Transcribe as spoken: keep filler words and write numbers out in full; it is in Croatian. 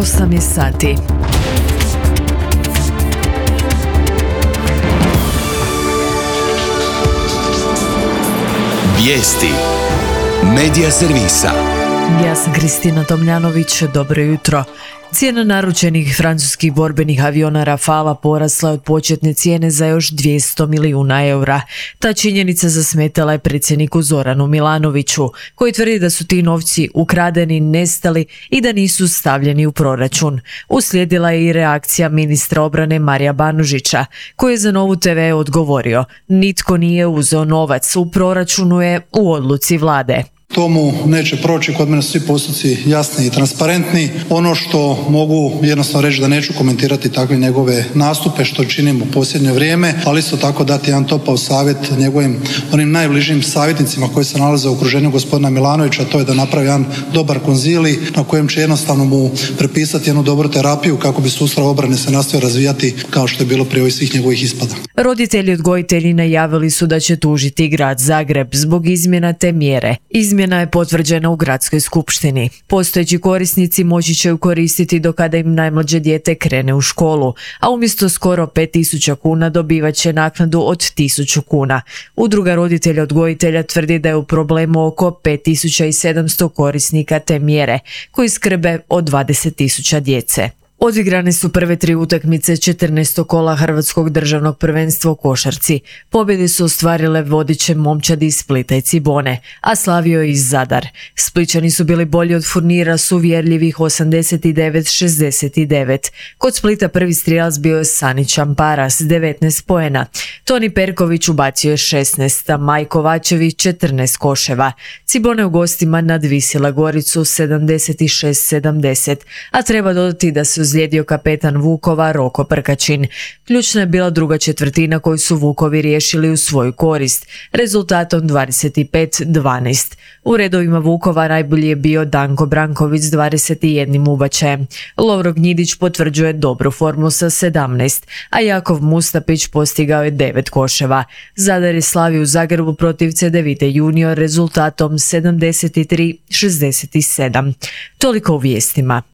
osam je sati. Vijesti Medija servisa. Ja sam Kristina Tomljanović, dobro jutro. Cijena naručenih francuskih borbenih aviona Rafala porasla je od početne cijene za još dvjesto milijuna eura. Ta činjenica zasmetala je predsjedniku Zoranu Milanoviću, koji tvrdi da su ti novci ukradeni, nestali i da nisu stavljeni u proračun. Uslijedila je i reakcija ministra obrane Marija Banožića, koji je za Novu te ve odgovorio: nitko nije uzeo novac, u proračunu je u odluci vlade. Tomu neće proći, kod mene su svi postupci jasni i transparentni. Ono što mogu jednostavno reći da neću komentirati takve njegove nastupe što činim u posljednje vrijeme, ali isto tako dati jedan topao savjet njegovim onim najbližim savjetnicima koji se nalaze u okruženju gospodina Milanovića, to je da napravi jedan dobar konzilij na kojem će jednostavno mu prepisati jednu dobru terapiju kako bi sustav obrane se nastavio razvijati kao što je bilo prije ovih svih njegovih ispada. Roditelji odgojitelji najavili su da će tužiti grad Zagreb zbog izmjena te mjere. Izmjena je potvrđena u gradskoj skupštini. Postojeći korisnici moći će ju koristiti do kada im najmlađe dijete krene u školu, a umjesto skoro pet tisuća kuna dobivat će naknadu od tisuću kuna. Udruga roditelja odgojitelja tvrdi da je u problemu oko pet tisuća sedamsto korisnika te mjere, koji skrbe o dvadeset tisuća djece. Odigrane su prve tri utakmice četrnaestog kola Hrvatskog državnog prvenstva u košarci. Pobjede su ostvarile vodeće momčadi iz Splita i Cibone, a slavio je i Zadar. Splićani su bili bolji od Furnira s uvjerljivih osamdeset devet šezdeset devet. Kod Splita prvi strijelac bio je Sani Čampara s devetnaest poena. Toni Perković ubacio je šesnaest, a Maj Kovačević četrnaest koševa. Cibone u gostima nadvisila Goricu sedamdeset šest sedamdeset, a treba dodati da se ozlijedio kapetan Vukova Roko Prkačin. Ključna je bila druga četvrtina koju su Vukovi riješili u svoju korist, rezultatom dvadeset pet dvanaest. U redovima Vukova najbolji je bio Danko Branković s dvadeset jednim ubačajem. Lovro Gnjidić potvrđuje dobru formu sa sedamnaest, a Jakov Mustapić postigao je devet koševa. Zadar je slavio u Zagrebu protiv Cedevite junior rezultatom sedamdeset tri šezdeset sedam. Toliko u vijestima.